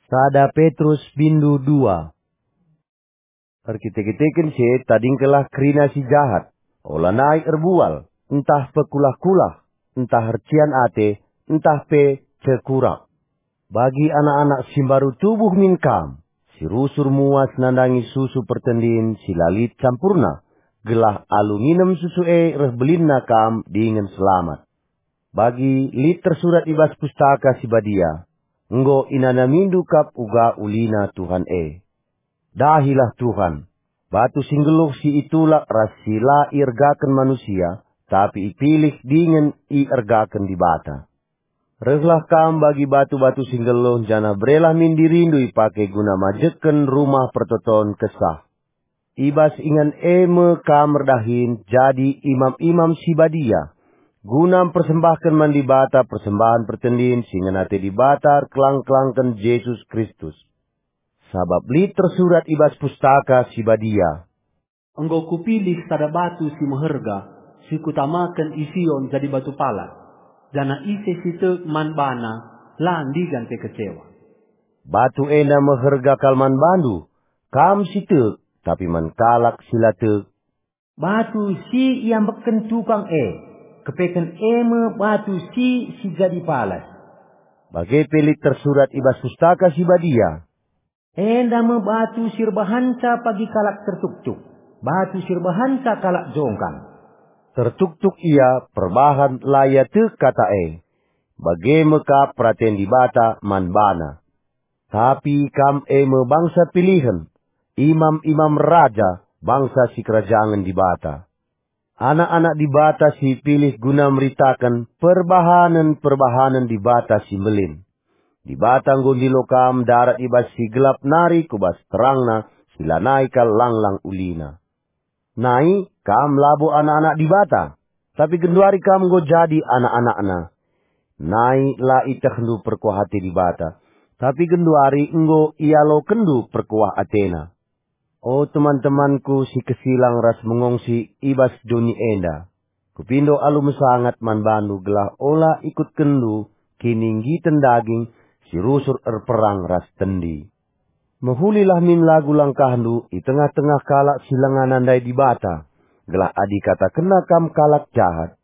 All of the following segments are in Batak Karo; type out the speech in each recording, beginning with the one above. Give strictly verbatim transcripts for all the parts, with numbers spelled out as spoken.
Sada Petrus bindu dua. Erkite-kiteken si e tadingkenlah kerina si jahat, olanai erbual, ntah pekulah-kulah, ntah ercian ate, ntah pe cekurak. Bagi anak-anak si mbaru tubuh min kam, si rusur muas nandangi susu pertendin si la lit campurna, gelah alu nginem susu e reh belinna kam dingen selamat. Bagi lit tersurat i bas Pustaka Si Badia, "Enggo inanamindu kap uga ulina Tuhan e." Dahilah Tuhan, batu si nggeluh si itulak ras si la iergaken manusia, tapi ipilih dingen iergaken Dibata. Rehlah kam bagi batu-batu si nggeluh, janah berelah min dirindu ipake guna majeken Rumah Pertoton Kesah. I bas ingan e me kam erdahin jadi imam-imam si badia, guna mpersembahken man Dibata persembahen pertendin si ngena ate Dibata erkelang-kelangken Jesus Kristus. Sabap lit tersurat i bas Pustaka Si Badia, "Enggo Kupilih sada batu si meherga, si Kutamaken i Sion jadi batu palas, janah ise si tek man bana la ndigan pe kecewa." Batu enda meherga kal man bandu, kam si tek, tapi man kalak si la tek. Batu si iambekken tukang e, kepeken e me batu si, si jadi palas. Bage pe lit tersurat i bas Pustaka Si Badia, "Enda me batu si erbahanca pagi kalak tertuktuk, batu si erbahanca kalak jongkang." Tertuktuk ia perbahan la ia tek kata e, bage me kap peraten Dibata man bana. Tapi kam e me bangsa pilihen, imam-imam raja, bangsa sikerajangen Dibata. Anak-anak Dibata si ipilih guna meritaken perbahanen-perbahanen Dibata si mbelin. Dibata enggo ndilo kam ndarat i bas si gelap nari ku bas terangna si lanai kal langlang ulina. Nai, kam labo anak-anak Dibata, tapi genduari kam enggo jadi anak-anakNa. Nai la itehndu perkuah ate Dibata, tapi genduari enggo ialokenndu perkuah ateNa. O teman-temanku si kesilang ras mengongsi i bas doni enda, kupindo alu mesangat man bandu gelah ola ikutkenndu kininggiten daging si rusur erperang ras tendi. Mehulilah min lagu langkahndu i tengah-tengah kalak si langa nandai Dibata, gelah adi katakenna kam kalak jahat,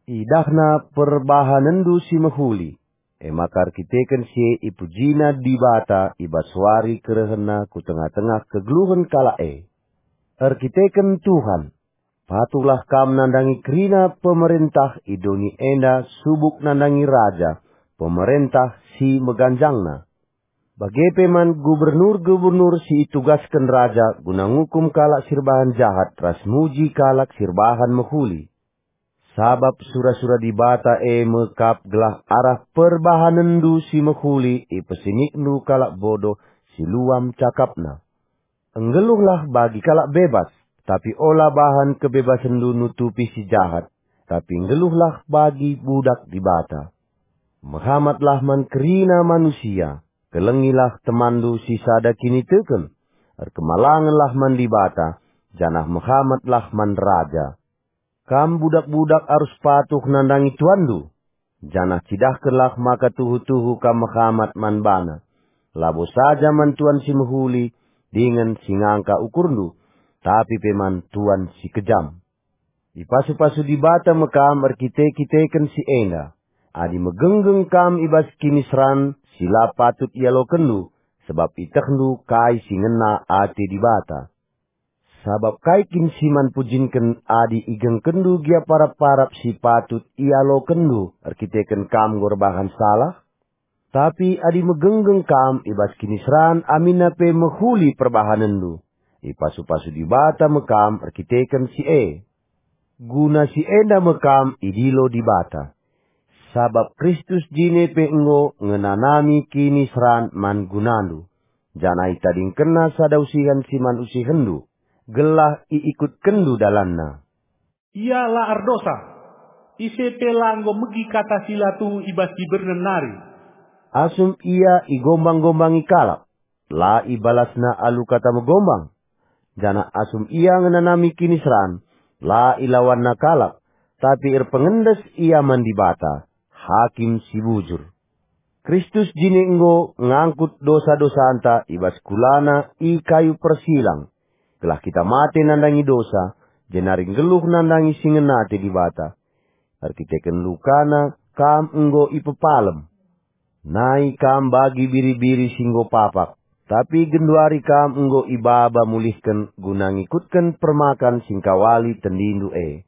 idahna perbahanenndu si mehuli, e maka erkiteken si e ipujina Dibata i bas wari kerehenNa ku tengah-tengah kegeluhen kalak e. Erkiteken Tuhan, patuhlah kam nandangi kerina pemerentah i doni enda subuk nandangi raja, pemerentah si meganjangna. Bage pe man gubernur-gubernur si itugasken raja guna ngukum kalak si erbahan jahat ras muji kalak si erbahan mehuli. Sabap sura-sura Dibata e me kap gelah arah perbahanenndu si mehuli ipesenikndu kalak bodoh si luam cakapna. Enggeluhlah bagi kalak bebas, tapi ola bahan kebebasenndu nutupi si jahat, tapi nggeluhlah bagi budak Dibata. Mehamatlah man kerina manusia, kelengilah temanndu si sada kiniteken, erkemalangenlah man Dibata, janah mehamatlah man raja. Kam budak-budak arus patuh nandangi tuanndu, janah cidahkenlah maka tuhu-tuhu kam mehamat man bana, labo saja man tuan si mehuli dingen si ngangka ukurndu, tapi pe man tuan si kejam. Ipasu-pasu Dibata me kam erkite-kiteken si enda. Adi megenggeng kam i bas kiniseran si la patut ialokenndu, sebab itehndu kai si ngena ate Dibata. Sabap kai kin si man pujinken adi igengkenndu gia parap-parap si patut ialokenndu erkiteken kam enggo erbahan salah? Tapi adi megenggeng kam i bas kiniseran aminna pe mehuli perbahanenndu, ipasu-pasu Dibata me kam erkiteken si e. Guna si enda me kam idilo Dibata. Sabap Kristus jine pe enggo ngenanami kiniseran man gunandu, janah itadingkenNa sada usihen si man usihenndu, gelah iikutkenndu dalanNa. Ia la erdosa. Ise pe la enggo megi kata si la tuhu i bas dibernen nari. Asum ia igombang-gombangi kalak, la ibalasna alu kata megombang. Janah asum ia ngenanami kiniseran, la ilawanna kalak, tapi erpengendes ia man Dibata, Hakim si bujur. Kristus jine enggo ngangkut dosa-dosanta i bas kulana i kayu persilang, gelah kita mate nandangi dosa, jenari nggeluh nandangi si ngena ate Dibata. Erkiteken lukana kam enggo ipepalem. Nai kam bagi biri-biri si enggo papak, tapi genduari kam enggo ibaba mulihken guna ngikutken permakan si ngkawali tendindu e.